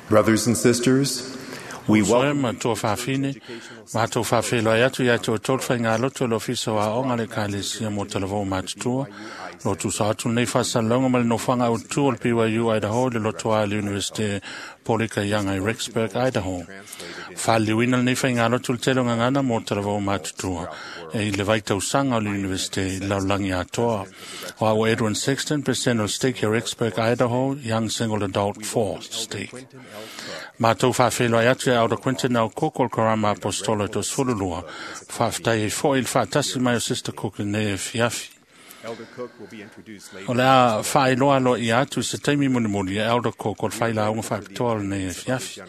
Brothers and sisters, we welcome ma toa faafine matou faafeiloai atu ia te outou le faigalotu o le Ofisa o Aoga le Ekalesia mo Talavou Matutua. Lo tusa atu lenei faasalalauga ma le nofoaga autu o le BYU Idaho i le lotoa i le Iunivesite Polika Ianga i Rexburg, Idaho. Faaliliuina lenei faigalotu le tele o gagana mo Talavou Matutua e i le vaitausaga o le Iunivesite i le lalolagi atoa. O au Edwin Sexton, President o le Stake o Rexburg, Idaho, Young Single Adult 4 Stake. Matou faafeiloai atu ia Elder Quentin L. Cook o le Karama Apostolo e 22. Faafetai ai foi i le faatasi mai o Sister Cook i lenei afiafi. O le a faailoa aloaia atu i se taimi mulimuli e Elder Cook o le failauga faapitoa o lenei afiafi.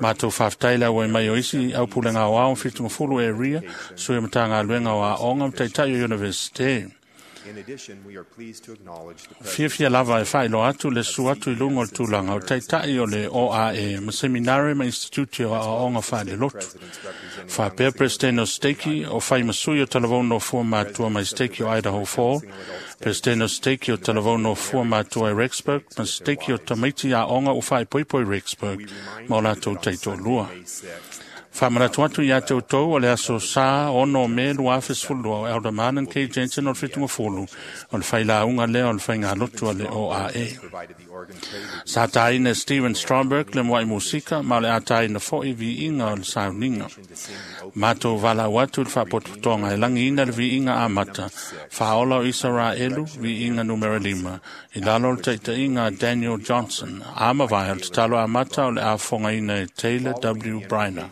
Matou faafetai le auai mai o isi aupulega aoao 70 area, sui o Matagaluega o Aoga ma Taitai o Iunivesite. Fiafia lava e faailoa atu le susu atu i luga o le tulaga o Taitai o le OAE ma Seminare ma Institute o Aoaoga Faalelotu. Faapea President o Stake o Faimasui o Talavou Nofua Matua mai Stake o Idaho Fall, President o Stake o Talavou Nofua Matua i Rexburg, ma Stake o Tamaiti Aoga o Faaipoipo i Rexburg ma o latou taitoalua. Faamanatu atu ia te outou o le aso Sa 6 o Me 2012 o Elder Marnon K. Jensen o le 70 o le failauga lea o le faigalotu a le OAE. Sa taina e Steven Stromberg le muai musika ma o le a taina foi viiga o le sauniga. Matou valaau atu i le faapotopotoga e lagiina le viiga amata, Faaola o Isaraelu, viiga numera 5, i lalo o le taitaiga a Daniel Johnson. A mavae o le tatalo amata o le a fofogaina e Taylor W. Briner.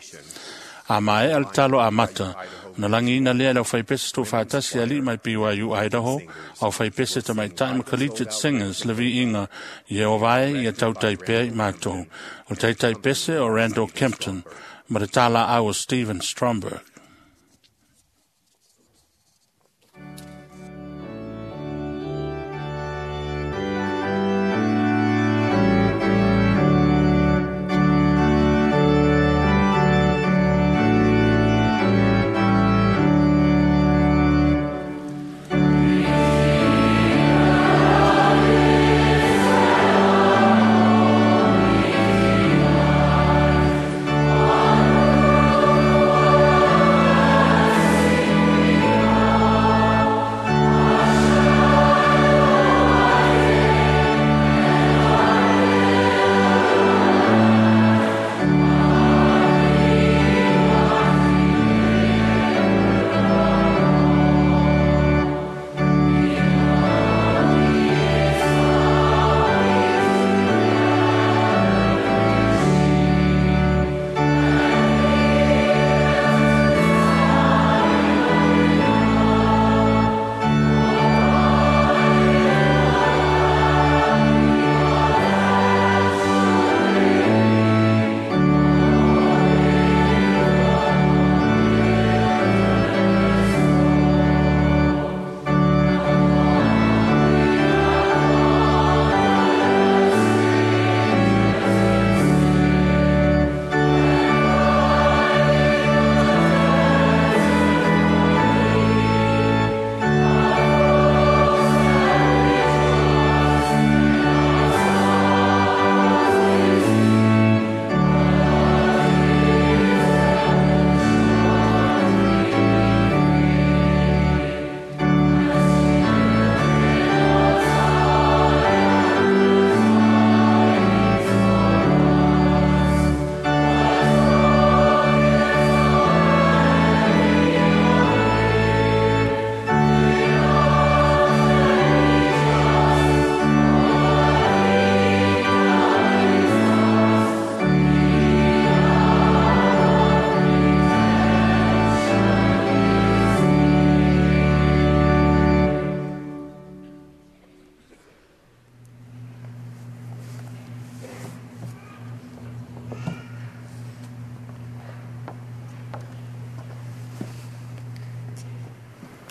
A maea le tatalo amata, na lagiina lea e le aufaipese tuufaatasi alii mai BYU Idaho, aufaipese tamaitai ma Collegiate Singers le viiga Ieova e ia tautai pea i matou. O le taitaipese o Randall Kempton ma le talaau o Steven Stromberg.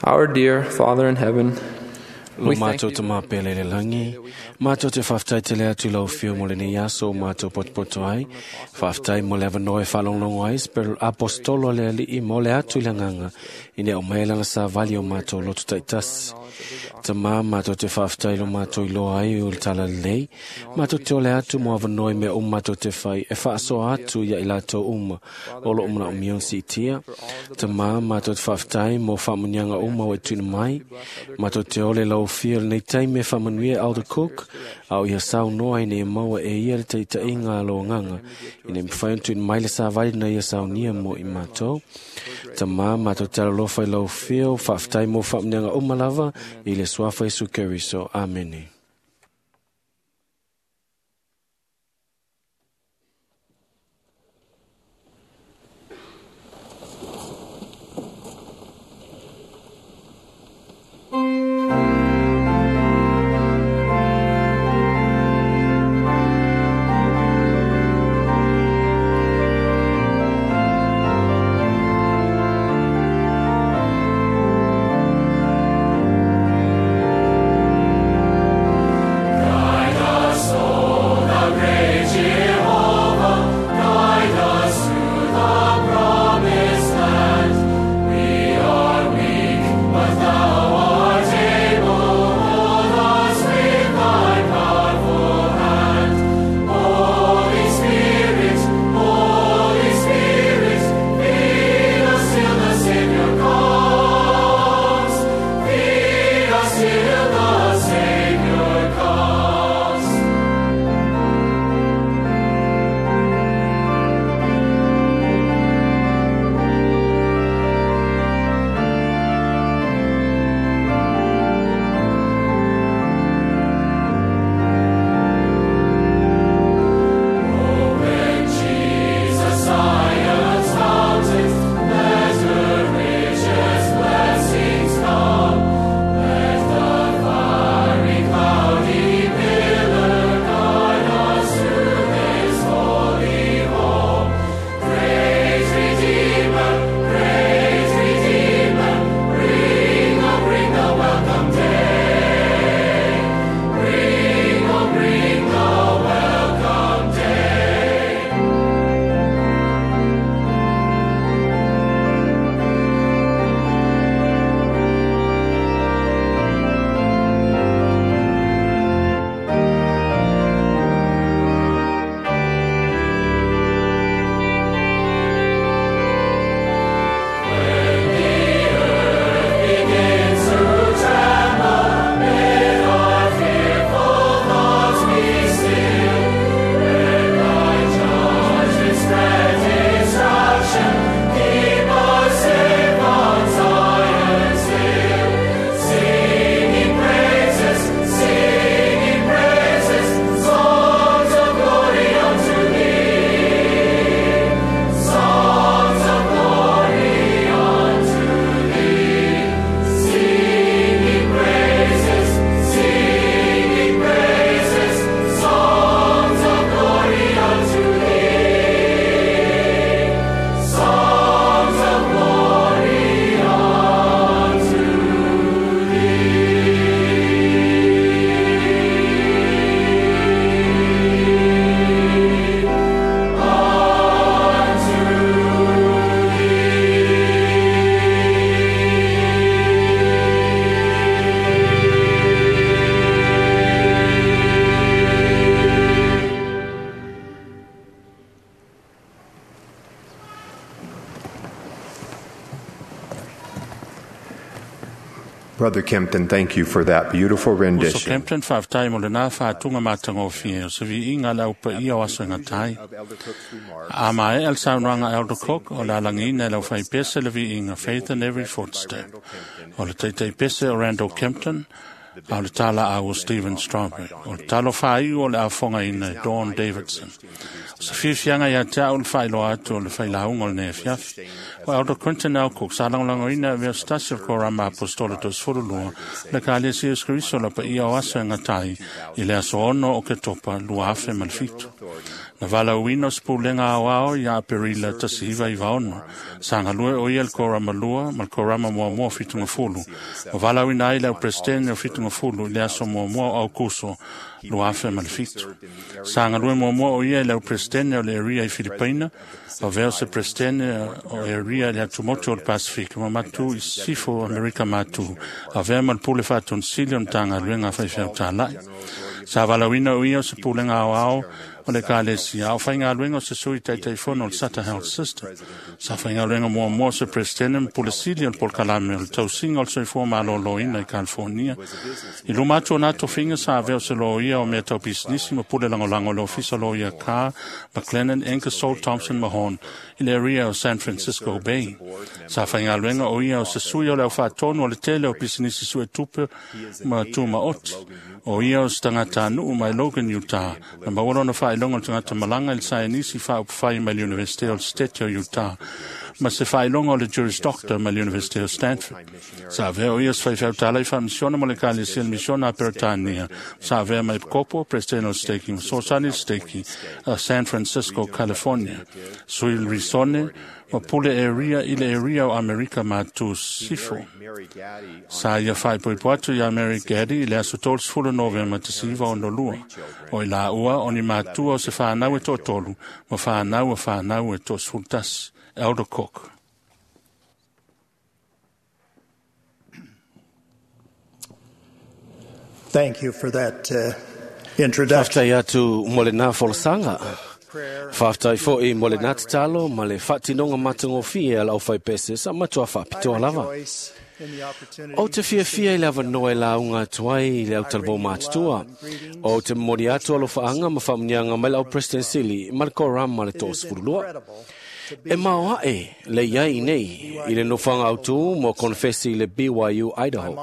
Our dear Father in heaven, Lo mātou te māpele le langi, mātou te whaftai te lea tu lau whio mo le nei aso o mātou potopoto ai, whaftai mo le awanoe whalonglongo ai, spero apostolo le ali i mo le atu i langanga, i nea o maelanga sa vali o mātou lotu taitasi. Ta mā mātou te whaftai lo mātou i loa ai o le tala lei, mātou te ole atu mo awanoe mea o mātou te whai, e whaasoa atu ia i lātou uma, o lo umana o mion si tia. Ta mā mātou te whaftai mo whamunianga uma o e tuna mai, mātou te ole lau whio le nei taime whamanuia Elder Cook, au ia sau noa i nei maua e ia le teita i ngā lo nganga, i nei mwhai untu i mai le sa vali na ia sau nia mo i mātou. Ta mā mātou te alalofa i lau whio, whaftai mo whamunianga uma lava, i le suafa Isu Keriso. Amene. Brother Kempton, thank you for that beautiful Uso rendition Kempton whaftai mo le nā whātunga mātangōwhia o se viinga lau pa ia o aso ngatai. of Elder Cook's remarks. A mai al saunoanga Elder Cook o la langina lau whai pese le viinga Faith in Every Footstep. O le teitei pese o Randall Kempton, a o le tala a o Stephen Stromberg. O le talo whaiu o le afonga ina Dawn Davidson. O sa fiafianga ia te au le whailoa atu o le whailaunga o le nea fiafi. O Elder Quentin L. Cook, sa langolangoina vea stasi o korama apostola tos furulua, le ka alia sia skriso la pa ia o aso e ngatai, i le aso ono o ke topa lua afe ma le fitu. Na valaauina o se pulega aoao ia Aperila 1996. Sa galue o ia le korama 2 ma le korama muamua o 70. Ma valaauina ai le au Peresetene o 70 i le aso muamua o Aukuso 2007. Sa galue muamua o ia i le au Peresetene o le Area i Filipaina, avea o se Peresetene o Area i le atumotu o le Pasifika ma matu i Sisifo o Amerika Matu, avea ma le pule faatonisili o le Matagaluega a Faifeau Talai. Sa valaauina o ia o se pulega aoao o le Ekalesia, a o faigaluega o se sui taitaifono o le Sutter Health System. Sa faigaluega muamua o se Peresetene ma pule sili o le polokalame o le tausiga o le soifua malōlōina i California. I luma atu o nā tofiga sa avea o se loia o mea tau pisinisi ma pule lagolago o le ofisa loia Carr, McLennan, Ingersoll, Thompson Mahon i le area o San Francisco Bay. Sa faigaluega o ia o se sui o le aufaatonu o le tele o pisinisi suetupe ma tumaoti. O ia o se tagatanuu mai Logan, Utah, na maua lona faailoga o le tagata malaga i le saienisi faaupufai mai le Universite o le State o Utah, ma se faailoga o le Juris Doctor mai le Universite o Stanford. Sa avea o ia se faifeau talai faamisiona mo le Ekalesia le Misiona a Peretania. Sa avea mai Kopo, President o le Staking, ma Sosani Staking, a San Francisco, California. Sui Risone, ma pule area i le area o Amerika Matu Sifo. Sa ia faaipoipo atu ia Mary Gaddy i le aso 30 Novema 1962. O i la ua o ni matua o se whanau e toatolu, ma whanau a whanau e toa 11. Elder Cook. Thank you for that introduction. Faafetai atu mo le nā folasaga. Faafetai fo'i mo le nā tatalo ma le faatinoga matagofie a le aufaipese sa matua faapitoa lava. O te fiafia i le avanoa e lauga atu ai i le autalavou matutua. O te momoli atu alofaanga ma faamuniaga mai le au President Sili ma le korama le 32. E maoae le iai nei i le nofoaga autū mo konefesi i le BYU Idaho.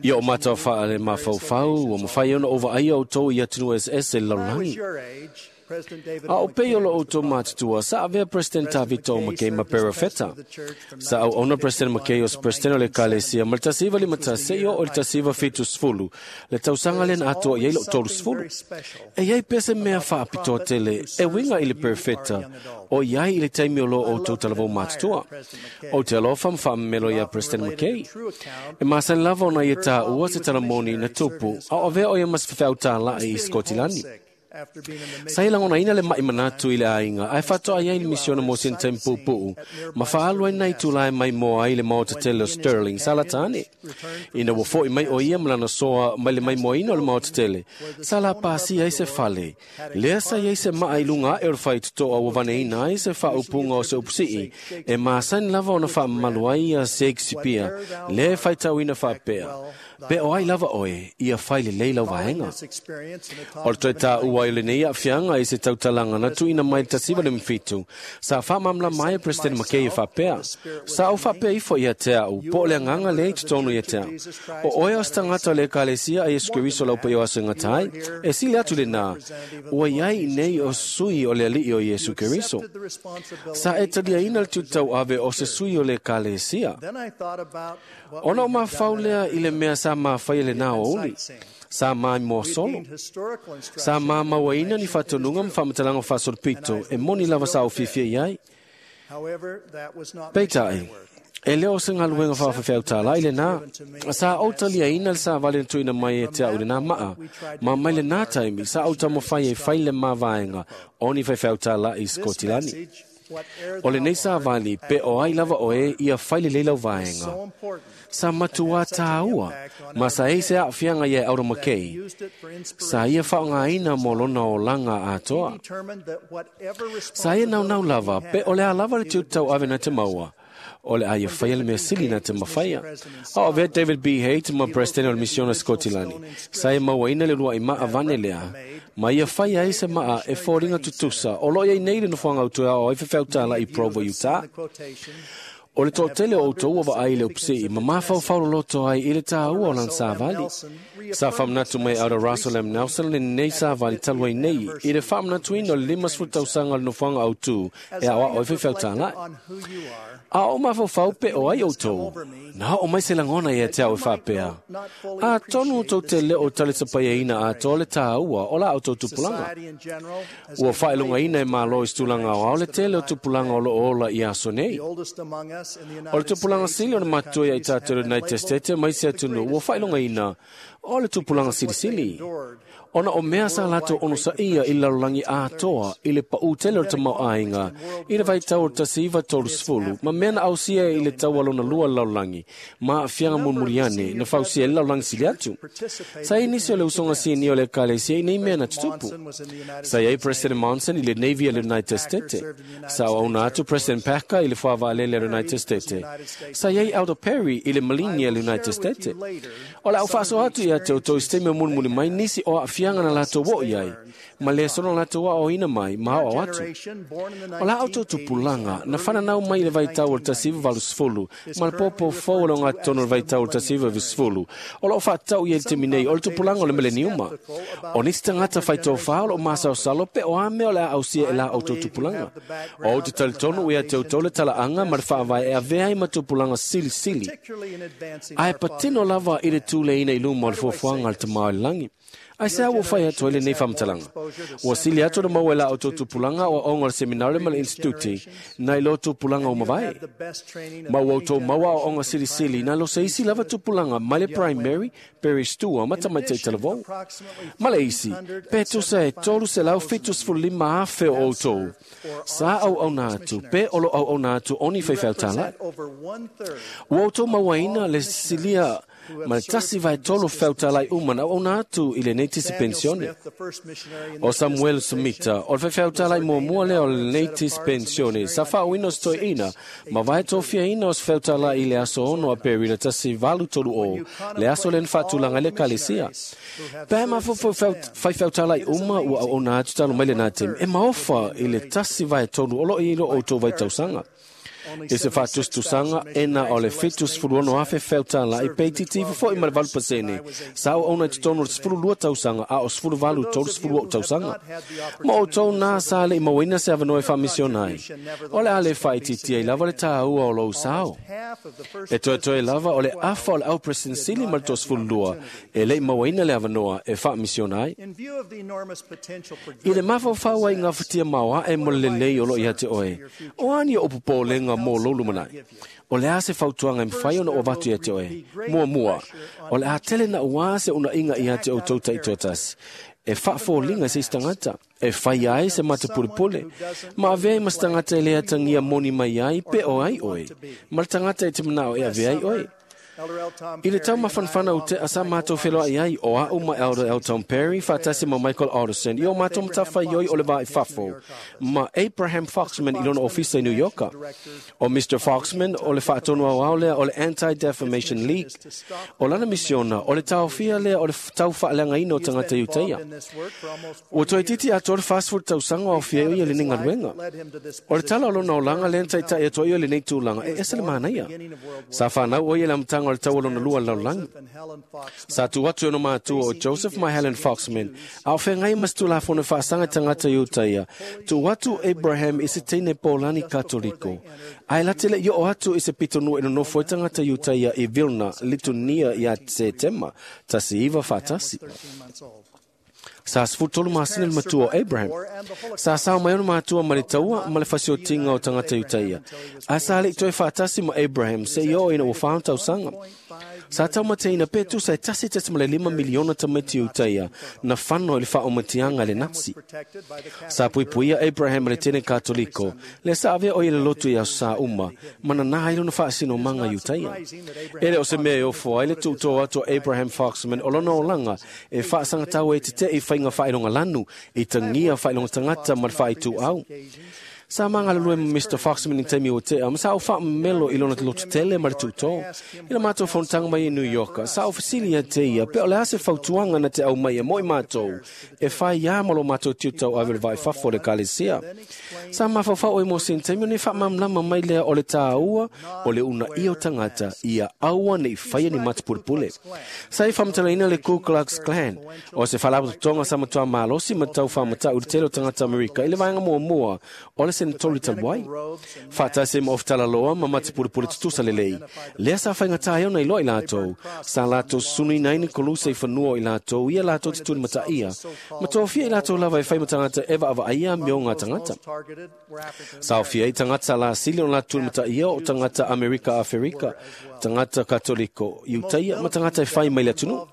Ia o matau wha le mafaufau ua mawhai ona o vaaia o tō i atunuu eseese i le lalolagi. A o pei o lo outou matutua, sa avea President Tavito McKay ma Perafeta. Sa au ona President McKay o se President o le Ekalesia ma le 1951 seia oo i le 1970, le tausaga lea na atoa i ai lou 30. E iai pea se mea faapitoa tele e uiga i le Perafeta o iai i le taimi o lo outou talavou matutua. O te alofa ma faamamelo ia President McKay. E masani lava ona ia tāua se talamoni na tupu, a o avea o ia ma se faifeau tālai i Skotilani. Sa ia lagonaina le mai manatu i le aiga, ae faatoa ai le misiona mo sina taimi puupuu, ma faaalu ai nai tulae mai moa ai le maota tele o Sterling sa lata ane. Ina ua fo'i mai o ia ma lana soa mai le maimoaina o le maota tele, sa la pasia ai se fale. Lea sa iai se maa i luga ae o le faitotoa ua vaneina ai se faaupuga o se upusii, e masani lava ona faamamalu ai ia Shakespeare, lea e faitauina faapea. Pe o ai lava oe, ia fai lelei lau vaega. O le toe tāua i lenei aafiaga i se tautalaga na tuuina mai le 1957, sa faamalamalama ai e President McKay e faapea. Sa ou faapea ifo ia te au, po o le agaga lea i totonu ia te au. O oe o se tagata o le Ekalesia a Iesu Keriso lau paia o aso e gata ai, e sili atu lenā, ua iai nei o sui o le alii o Iesu Keriso. Sa e taliaina le tiute ave o se sui o le Ekalesia. Ona o mafau lea i le mea sa mafai e lenā o uli, sa maimoa solo. Sa mamauaina ni faatonuga ma faamatalaga faasolopito e moni lava sa ou fiafia i ai. Peitai, e le o se galuega faafefeau tālai lenā. Sa ou taliaina le savali na tuuina mai e te au i lenā maa. Ma mai lenā taimi, sa ou taumafai e fai le mavaega o ni faifeau tālai i Skotilani. O lenei savali, pe o ai lava oe ia fai lelei lau vaega. Sa matua tāua, ma sa ei se aafiaga ia e Elder McKay. Sa ia faaaogaina mo lona olaga atoa. Sa ia naunau lava, pe o le a lava le tiute tauave na te maua. O le a ia faia le mea sili na te mafaia. A o avea David B. Haight ma President o le Misiona Skotilani. Sa ia mauaina le lua'i maa vane lea, ma ia fai ai se maa e foliga tutusa o loo iai nei le nofoaga autoe ao ai faifeau tālai i Provo, Utah. O le toʻatele o outou ua vaai i le upusii ma mafaufau loloto ai i le tāua o lana savali. Sa faamanatu mai Elder Russell M. Nelson lenei savali talu ai nei i le faamanatuina o le 50 tausaga o le nofoaga autū e aoao ai faifeau A o mafaufau pe o ai outou, na oo mai se lagona ia te au e faapea. Atonu tou te le o talisapaiaina atoa le tāua o la outou tupulaga. Ua faailogaina e Malo i se tulaga aoao le tele o tupulaga o loo ola i aso nei. O le tupulaga sili o le matutua ia i tatou le United States mai se atunuu ua faailogaina o le tupulaga silisili. Ona o mea sa latou onosaia i le lalolagi atoa i le paʻū tele o le tamaoaiga i le vaitau o le 1930 ma mea na ausia i le taua lona lua o le lalolagi ma aafiaga mulimuli ane na fausia ai le lalolagi sili atu. Sa i ai nisi o le usoga sinia o le ekalesia i nei mea na tutupu. Sa i ai President Monson i le Navy a le United States. Sa auauna atu President Packer i le fuavaalele a le United States. Sa i ai Elder Perry i le Maligi a le United States. O le a ou faasoa atu ia te outou i se taimi o mulimuli mai nisi o aafiaga na latou oo i ai, ma lesona latou aoaoina mai ma aoao atu. O la outou tupulaga na fananau mai i le vaitau o le 1980 ma le poupou fou o le ogatotonu o le vaitau o le 1990, o loo faatatau i ai le taimi nei o le tupulaga o le mileniuma. O nisi tagata faitofā o loo masalosalo pe o a mea o le a ausia e la outou tupulaga. O ou te talitonu ia te outou le talaaga ma le faavae e avea ai ma tupulaga silisili, ae patino lava i le tuleina i luma o le fuafuaga a le Tama o le Lagi. Ai se a ua fai atu ai lenei faamatalaga? Ua sili atu le maua e la outou tupulaga o aoaoga o le seminare ma le instituti nai lo tupulaga ua mavae. Ma ua outou maua aoaoga silisili nai lo se isi lava tupulaga mai le primary, peristua ma tamaitai talavou. Ma le isi, pe tusa e 375,000 o outou sa auauna atu pe o lo auauna atu o ni faifeau tālai. Ua outou mauaina le silia ma le 1/3 feautalai uma na auauna atu i lenei tisi pensione. O Samuel Smita, o le faifeautalai muamua lea o lenei tisi pensione, sa faauina o se toeaina ma vae tofiaina o se feautalai i le aso 6 Aperila 1830, le aso lea na faatulaga ai le ekalesia. Pe mafaufau faifeautalai uma ua auauna atu talu mai lenā taimi, e maofa i le 1/3 o loo i ai lo outou vaitausaga. I se faatusatusaga e na o le 76,000 feautalai pe itiiti ifo foi ma le 8% sa auauna i totonu o le 12 tausaga a o 18 30 tausaga. Ma outou nā sa leʻi mauaina se avanoa e faamisiona ai. O le a le faaitiitia ai lava le tāua o lou sao. E toetoe lava o le afa o le au President sili ma le 32 e leʻi mauaina le avanoa e faamisiona ai. I le mafaufau ai gafatia maoaʻe mo le lelei o loo ia te oe, o a ni o popolega mo lou lumanai? O le a se fautuaga e mafai ona ou avatu ia te oe? Muamua, o le a tele na uā se unaiga ia te outou taitoatasi e faafoliga i se isi tagata, e fai ai se matapulepule, ma avea ai ma se tagata e le atagia moni mai ai pe o ai oe, ma le tagata e te manao e avea ai oe. I le taumafanafana o tea sa matou feloai ai o a'u ma Elder Elton Perry faatasi ma Michael Alderson i o matou matafaioi o le vaa i fafo ma Abraham Foxman i lona ofisa i New Yorka. O Mr. Foxman o le faatonu aoao lea o le Anti-Defamation League. O lana misiona o le taofia lea o le taufaaleagaina o tagata Iutaia. Ua toeitiiti atoa le 40 tausaga o aofia ai o ia i lenei galuega. O le tala o lona olaga lea na taitai atu ai o lenei tulaga e ese le manaia. Sa fanau o ia i le amataga o le taua lona lua o le lalolagi. Sa tu atu e ona matua o Joseph ma Helen Foxman, a o feagai ma se tulafono e faasaga i tagata Iutaia, tuu atu Abraham i se teine Polani Katoliko. Ae late leʻi oo atu i se pitonuu e nonofo ai tagata Iutaia i Vilna, Litunia ia Setema 1941. Sa 13 masina le matua o Abraham. Sa sao mai ona matua ma le taua ma le fasiotiga o tagata Iutaia. Ae sa leʻi toe faatasi ma Abraham seia oo ina ua 4 tausaga. Sa taumateina pe tusa e 1.5 miliona tamaiti Iutaia na fano i le faaumatiaga e le Nasi. Sa puipuia Abraham e le tene Katoliko, lea sa avea o ia le lotu i aso sa uma, ma nanā ai lona faasinomaga Iutaia. E le o se mea e ofo ai le tuutō atu o Abraham Foxman o lona olaga e faasagatau ai e teteʻi faiga faailoga lanu i tagia faailoga tagata ma le faaituau. Sa magalulue ma Mr. Foxman i taimi ua tea, ma sa ou faamamelo i lona lototele ma le tuutō. I le matou fonotaga mai i New York, sa ou fesili ia te ia, pe o le a se fautuaga na te aumai e mo i matou, e fai iā ma lo matou tiutauave le vaifafo o le Ekalesia. Sa mafaufau oe mo sina taimi o nei faamalamalama mai lea o le tāua o le uunaia o tagata ia aua ne i faia ni matapulepule. Sa i faamatalaina le Ku Klux Klan, o se faalapotopotoga sa matuā malosi ma tau faamatau i le tele o tagata Amerika i le vaega muamua o le Senetoli talu ai. Faatasi ai ma ofitalaloa ma matapulepule tutusa lelei, lea sa faigata ai ona iloa i latou, sa latou susunuina ai ni kolusa i fanua o i latou ia latou te tulimataia, ma tofia i latou lava e fai ma tagata e vaavaaia amioga a tagata. Sa aofia ai tagata lasili ona latou tulimataia o tagata Amerika Aferika, tagata Katoliko, Iutaia ma tagata e fai mai le atunuu.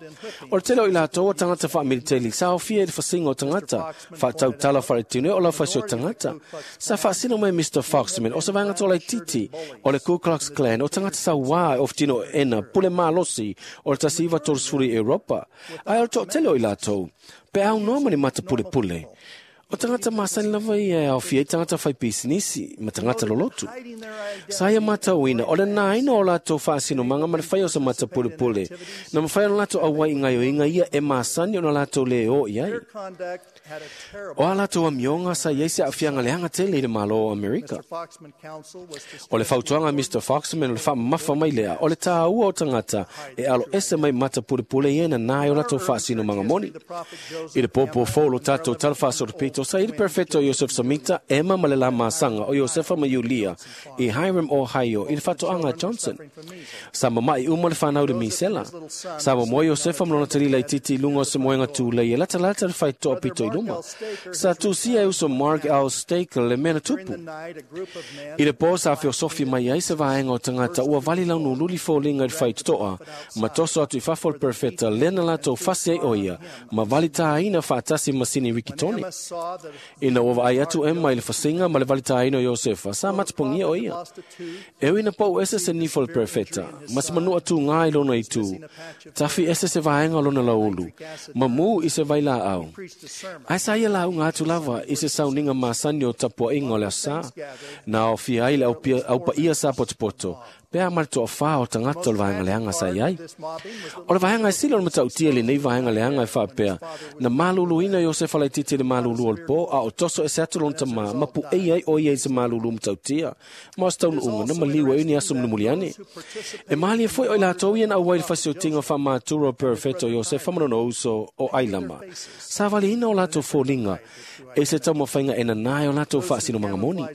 O le tele o i latou o tagata faamiliteli sa aofia i le fasiga o tagata, faatautala faaletino o laufasi o tagata. Sa faasino mai Mr. Foxman o se vaega tolaitiiti o le Ku Klux Klan o tagata sauā e ofutino ena pule malosi o le 1930 i Europa, ae o le toatele o i latou, pe aunoa ma ni matapulepule. O tagata masani lava ia e aofia ai tagata faipisinisi ma tagata lolotu. Sa ia matauina o le nāina o latou faasinomaga ma le faia o se matapulepule, na mafai ona latou auai i gaoioiga ia e masani ona latou lē o i ai. O a latou amioga sa i ai se aafiaga leaga tele i le Malo o Amerika. O le fautuaga a Mr. Foxman o le faamamafa mai lea o le tāua o tagata e aloese mai matapulepule ia e nanā ai o latou faasinomaga moni. I le pōpō fou o lo tatou tala faasolopito, sa i le Perfeto Iosef Samita, Emma ma le la masaga o Iosefa ma Iulia i Hiram, Ohio, i le faatoaga a Johnson. Sa mama'i uma le fanau i le misela. Sa momoe Iosefa ma lona tali laitiiti i luga o se moega tulei e latalata le faitotoa pito i luma. Sa tusia e uso Mark L. Staker le mea na tupu. I le pō sa feosofi mai ai se vaega o tagata ua vali launululi foliga i le faitotoa ma toso atu i fafo le Perfeta lea na latou fasi ai o ia ma valitāina faatasi ma sini Rikitone. Ina ua vaai atu Emma i le fasiga ma le valitāina o Iosefa, sa matapogia o ia. E ui na pau ese se nifo o le Perfeta, ma se manua tūgā i lona itu, tafi ese se vaega o lona lauulu, ma mū i se vailaau. Ae sa ia lauga atu lava i se sauniga masani o tapuaiga o le aso sa, na aofia ai le aupaia sa potopoto, pe a ma le toafā o tagata o le vaega leaga sa i ai. O le vaega e sili o le matautia i lenei vaega leaga e faapea, na maluluina Iosefa laitiiti i le malulu o le pō, a o toso ese atu lona tamā, ma puei ai o ia i se malulu matautia, ma o se taunuuga na maliu ai ni aso mulimuli ane. E malie foi o i latou ia na auai i le fasiotiga faamatura o Perfeto Iosefa ma lona uso o Ailama. Sa valiina o latou foliga e se taumafaiga e nanā ai o latou faasinomaga moni.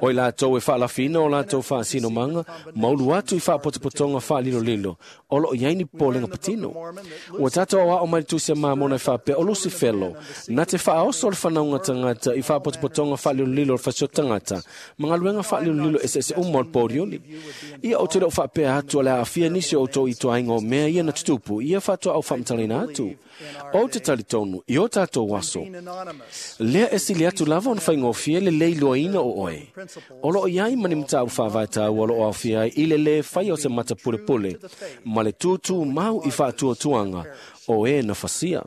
O i latou e faalafiina o latou faasinomaga, maulu atu i faapotopotoga faalilolilo o loo i ai ni popolega patino. Ua tatou aoao mai le Tusi a Mamona e faapea o Lusifelo na te faaoso le fanauga tagata i faapotopotoga faalilolilo o le fasio tagata ma galuega faalilolilo eseese uma o le polioli. Ia ou te le o faapea atu o le a aafia nisi o outou i ituaiga o mea ia na tutupu, ia faatoa au faamatalaina atu. Ou te talitonu i o tatou aso, lea e sili atu lava ona faigofie le lē iloaina o oe. O loo i ai ma ni mataupu faavae taua o loo aofia ai i le lē faia o se matapulepule ma le tūtū mau i faatuatuaga o e na fasia.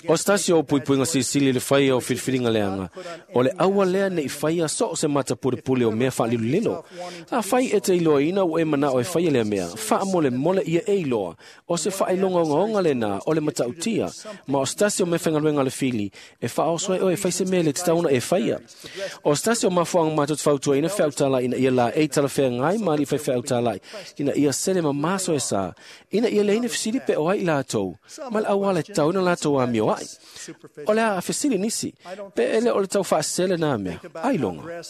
O se tasi o puipuiga silisili i le faia o filifiliga leaga, o le aua lea ne i faia so o se matapulepule o mea faalilolilo. Afai e te iloaina ua e manao e faia lea mea, faamolemole ia e iloa, o se faailoga ogaoga lenā o le matautia, ma o se tasi o mea faigaluega a le fili, e faaoso ai oe e fai se mea le tatau ona e faia. O se tasi o mafuaaga matou te fautuaina feautala'i ina ia laei talafeagai ma alii faifeautala'i, ina ia sele mamaso e sa, ina ia leai ni fesili pe o ai i latou, ma le auala e tatau ona latou amioa'i. O le a fesili nisi, pe e le o le tau faasese lenā mea, ailoga.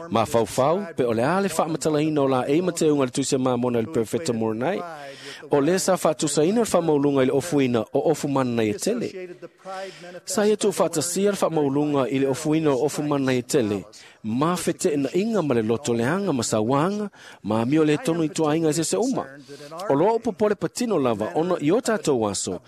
Mafaufau, pe o le a le faamatalaina o laei ma teuga i le Tusi a Mamona i le Perofeta Moronai, o lea sa faatusaina le faamauluga i le ofuina o ofu mananaia tele. Sa ia tuufaatasia le faamauluga i le ofuina o ofu mananaia tele, ma feteenaiga ma le loto leaga ma sauaga, ma amio le tonu i ituaiga eseese uma. O loa o popole patino lava ona i o tatou aso,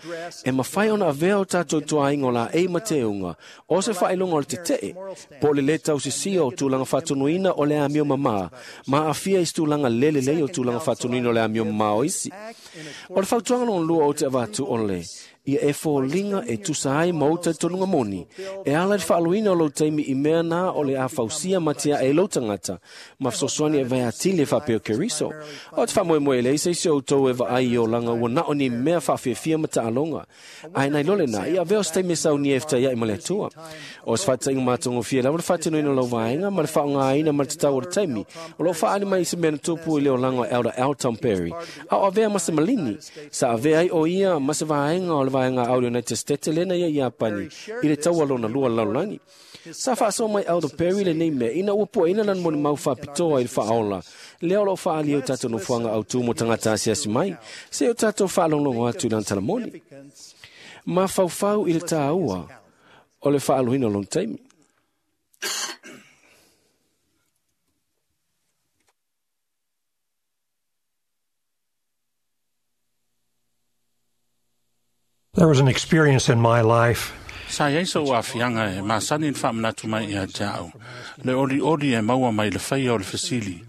e mafai ona avea o tatou ituaiga o laei ma teuga, o se faailoga o le tetee, po o le lē tausisia o tulaga faatonuina o le amio mamā, ma aafia i se tulaga le lelei o tulaga faatonuina o le amio mamā o isi. O le fautuaga lona lua ou te avatu o le, Ia e foliga e tusa ai ma ou talitonuga moni, e ala i le faaluina o lou taimi i mea na o le a fausia ma tiae i lou tagata, ma fesoasoani e vae atili e faapea o Keriso. O te faamoemoe lea i se isi o outou e vaai i olaga ua na o ni mea faafiafia ma taaloga. Ae nai lo lena, ia avea o se taimi e saunia e fetaiai ma le Atua. O se faataitaiga matagofie lava le faatinoina o lau vaega ma le faaaogaina ma le tatau o le taimi, o loo faaali mai i se mea na tupu i le olaga o Elder Alton Perry, a o avea ma se malini, sa avea ai o ia ma se vaega o le vaega au United States lena ia Iapani i le taua lona lua lalolagi. Sa faasoa mai Elder Perry lenei mea ina ua puaina lana molimau faapitoa i le faaola, lea o loo faaalia o tatou nofoaga autū mo tagata asiasi mai, se o tatou faalogologo atu i lana talamoni. Mafaufau i le tāua o le faaluina o lona taimi. There was an experience in my life Sa iai sou aafiaga e masani le faamanatu mai ia te a'u, le olioli e maua mai le faia o le fesili.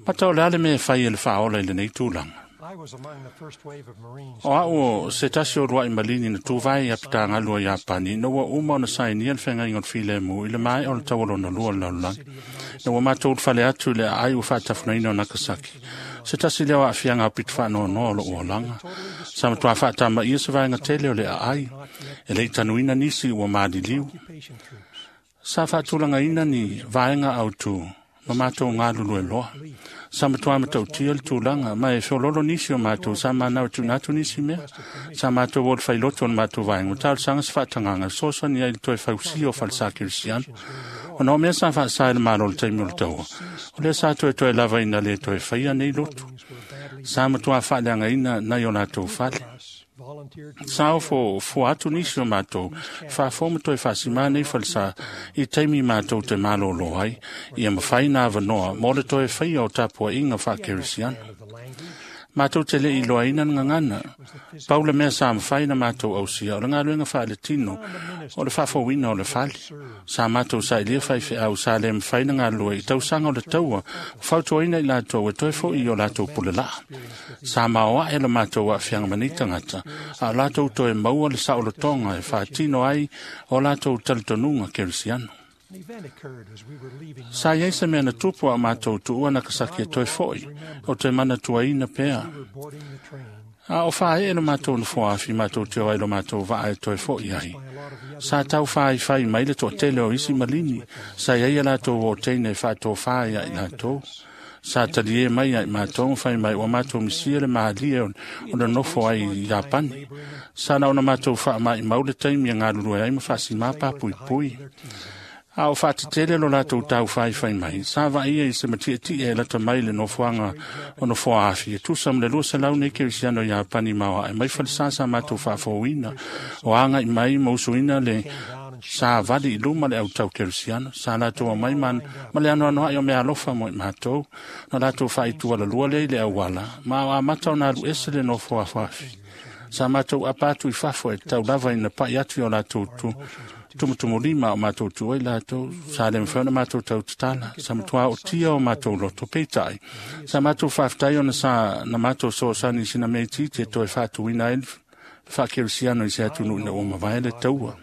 Mata o le a le mea e fai e le faaola i lenei tulaga. I was among the first wave of Marines. O a'u o se tasi o lua'i malini na tuvae ia pitagalu o Iapani ina ua uma ona sainia le feagaiga o le filemu i le mae'a o le taualona lua o le lalolagi. Na ua matou ulufale atu i le aai ua faatafunaina o Nagasaki. Se tasi lea o aafiaga aupito faanoanoa o lo'u olaga. Sa matuā faatamaia se vaega tele o le aai. E lei tanuina nisi ua maliliu. Occupation troops. Sa faatulagaina ni vaega autū ma matou galulue loa. Sa matuā matautia le tulaga ma e feololo nisi o matou sa manau e tuuina atu nisi mea. Sa matou o le failoto o le matou vaega ma talosaga se faatagaga fesoasoani ai i le toe fausia o falesa kerisiano. Ona o mea sa faasā i le malo o le taimi o le taua, o lea sa toetoe lava ina le toe faia nei lotu. Sa matuā faaleagaina nai o latou fale. Volunteered to Sa ofo fua atu nisi o matou, faafou ma toe faasimā nei falesa i taimi matou te malōlō ai, ia mafai na avanoa mo le toe faia o tapuaʻiga faakerisiano. of the language. Matou te le'i iloaina le gagana. Pau le mea sa mafai na matou ausia o le galuega faaletino o le faafouina o le fale. Sa matou sailia faifeau sa le mafai na galulue i tausaga o le taua, fautuaina i latou e toe fo'i i o latou pulelaa. Sa maoaʻe le matou aafiaga ma nei tagata, a o latou toe maua le saolotoga e faatino ai o latou talitonuga kerisiano. An event occurred as we were leaving. Sa iai se mea na tupu a o matou tuua Nagasaki e toe fo'i, o te manatuaina pea. We were boarding the train A o faaee le matou nofoa afi matou te o ai lo matou vaa e toe fo'i ai. by a lot of the other Sa tau faaifai mai le toatele o isi malini, sa iai a latou o teine e faatofā ia i latou. Sa talie mai ia i matou ma fai mai ua matou misia le mahalie o o le nofo ai i Iapani. Sa na ona matou faamaʻimau le taimi e galulue ai ma faasimā papuipui. A o faatetele lo latou taufaifai mai, sa vaaia i se matiʻetiʻe e lata mai le nofoaga o nofoa afi e tusa ma le 200 nei kerisiano Iapani maoaʻe mai falesā sa matou faafouina o agaʻi mai ma usuina le sa vali i luma le autau kerisiano. Sa latou aumai ma, ma le anoanoaʻi o mea alofa mo i matou, na latou faaitualalua lea i le auala, ma o amata ona alu ese le nofo afoafi. Sa matou apa atu i fafo e tau lava ina paʻi atu i o latou tu tumutumulima o matou tu ai latou, sa le mafai ona matou tautatala, sa matuā otia o matou loto peitai. Sa matou faafetai ona sa na matou soosani i sina mea itiiti e toe faatuina ai le faakerisiano i se atunuu ina ua mavae le taua.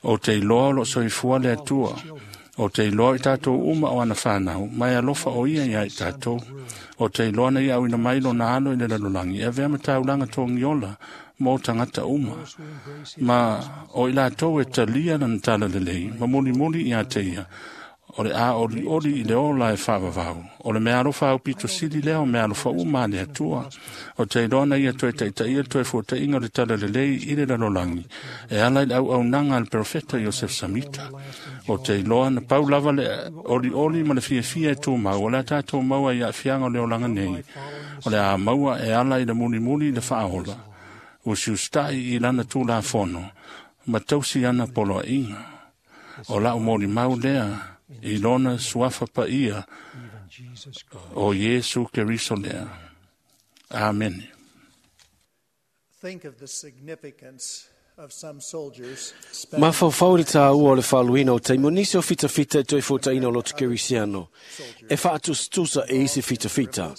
O te iloa o loo soifua le Atua. O te iloa i tatou uma o ana whanau, mai alofa o ia ia i tatou. O te iloa na ia auina mai lona alo i le lalolagi, e avea ma taulaga togiola mo tagata uma. Ma o i latou e talia lana tala lelei, ma mulimuli ia te ia, o le a olioli i le ola e faavavau. O le mea alofa aupito sili lea o mea alofa uma a le Atua. O te iloa na ia toe taitaia le toe fuataiga o le tala lelei i le lalolagi, e ala i le auaunaga a le perofeta Iosef Samita. O te iloa na pau lava le olioli ma le fiafia e tumau, o le a tatou maua i aafiaga o le olaga nei. O le a maua e ala i le mulimuli i le faaola. Usiusitaʻi i lana tulafono, ma tausi ana poloaiga. O lau molimau lea i lona suafa paia even Jesus Christ. o Iesu Keriso lea. Amene. Think of the significance of some soldiers spending Mafaufau i le tāua o le faaluina o taimi o nisi o fitafita e toe fuataina o loto kerisiano, e faatusatusa e isi fitafita.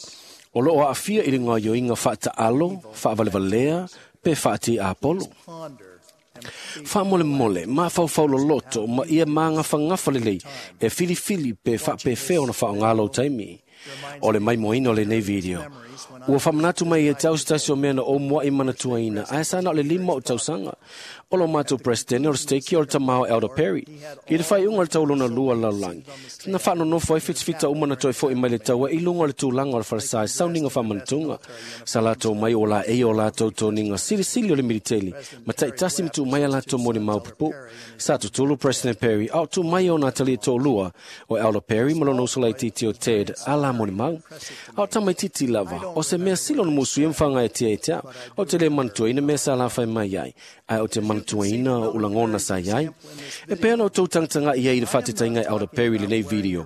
O loo aafia i le gaoioiga faataalo, faavalevalea, Pe faati Apolo. Faamolemole, mafaufau loloto, ma ia magafagafa lelei, e filifili pe faapefea ona faaaogā lou taimi. O le maimoaina o lenei video. Ua faamanatu mai ia te au se tasi o mea na ou muaʻi manatuaina, ae sa na o le 5 o tausaga. O lo matou Presidente o le Stake o le tamā o Elder Perry. I le faaiuga o le tau lona lua o le lalolagi, na faanonofo ai fitifita uma na toe foʻi mai le taua i luga o le tulaga o le falesa i sauniga faamanatuga. Sa latou mai o laei o latou toniga silisili o le militeli, ma taitasi ma tuu mai a latou molimau pupuu. Sa tutulu President Perry a o tuu mai ona atalia toalua o Elder Perry ma lona uso laitiiti o Ted a la molimau. A o tamaitiiti lava, o se mea sili ona musuia ma faagaeatia ia te au. O te le manatuaina mea sa lafai mai ai, ae o te manatuaina o ulagona sa iai. E pei ona outou tagatagai ai i le faatetaiga e Elder Perry i lenei video.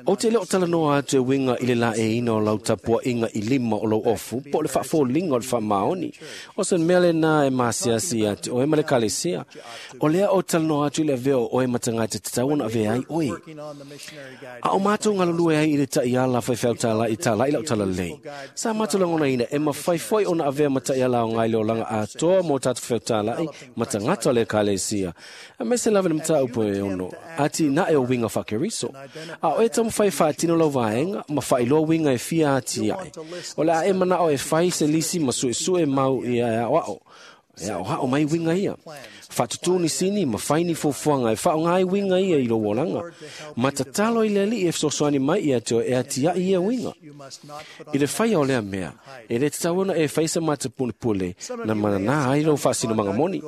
Ou te le o talanoa atu e uiga i le laeiina o lau tapuaiga i lima o lou ofu po o le faafoliga o le faamaoni. O se mea lenā e masiasi ia te oe ma le ekalesia. O lea ou te talanoa atu i le avea o oe ma tagata tatau ona avea ai oe. A o matou galulue ai i le taiala faifeau talai talai lau talalelei. Sa matou lagonaina e mafai foi ona avea ma taiala aoga i le olaga atoa mo tatou faifeau talai ma tagata o le ekalesia. Aemaise lava i le mataupu e ono atinae o uiga faakeriso. A o e taumafai e faatino lau vaega ma faailoa uiga e fia atiae. O le a e manao e fai se lisi ma suesue mau ia e aoao. E aoao mai uiga ia. Faatutū ni sini ma fai ni fuafuaga e faaaoga ai uiga ia i lou olaga. Ma tatalo i le Alii e fesoasoani mai ia te oe e atiae ia uiga. I le faia o lea mea, e le tatau ona e fai se matapunepule na mananā ai lou faasinomaga moni.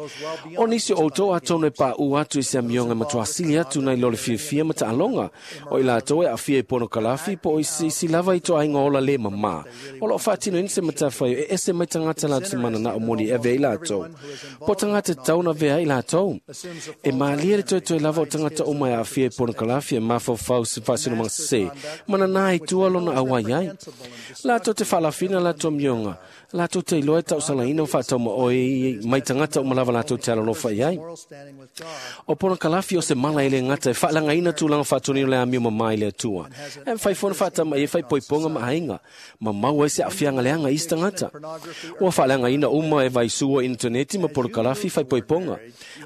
O nisi o outou atonu e paʻu atu i se amioga e matuā sili atu nai lo le fiafia ma taaloga. O i latou e aafia i ponokalafi po o i se isi lava ituaiga ola le mamā. O loo faatinoina se matafaioi e ese mai tagata latou te mananao moni e avea ai latou. Po o tagata tatau ona avea ai latou. E malie le toetoe lava o tagata uma e aafia i ponokalafi e mafaufau i se faasinomaga sesē, mananā i tua lona auai ai. Latou te faalafina latou amioga, latou te iloa e tausalaina ma faataumaoi mai tagata uma lava latou te alolofa i ai. O ponokalafi o se mala e le gata e faalagaina tulaga faatonu o le amio mamā i le Atua. E mafai foi ona faatamaia e faaipoipoga ma aiga, ma maua ai se aafiaga leaga i isi tagata. Ua faaleagaina uma e vaisua initaneti ma ponokalafi faaipoipoga.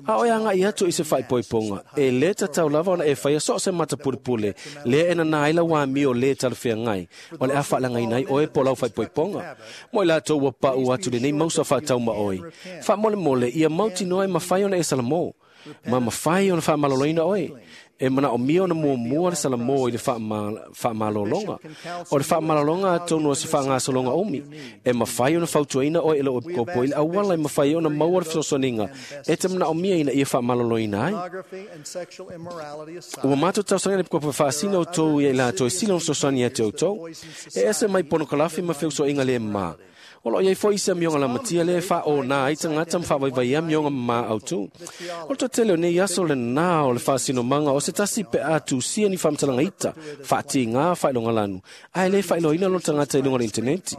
A o e agai atu i se faaipoipoga, e le tatau lava ona e faia so o se matapulepule lea e nanā ai lau amio le talafeagai o le a faaleagaina ai oe po o lau faaipoipoga. Mo i latou ua paʻu atu lenei mausa faataumaoi, faamolemole ia mautinoa e mafai ona e salamo, ma mafai ona faamaloloina oe. E manaomia ona muamua le salamo i le faamalologa. O le faamalologa atonu o se faagasologa umi. E mafai ona fautuaina oe e lou epikopo i le auala e mafai ai ona maua le fesoasoaniga e te manaomia ina ia faamaloloina ai. Ua matou talosaga i le epikopo e faasina outou ia i latou e sili ona fesoasoani ia te outou. E ese mai ponokalafi ma feusoaiga le mamā. O loo i ai foi isi amioga lamatia lea e faaonā ai tagata ma faavaivaia amioga mamā autū. O le toatele o nei aso le nanā o le faasinomaga o se tasi pe a tusia ni faamatalaga ita, faatigā, faailogalanu, ae le faailoaina lona tagata i luga o le initaneti.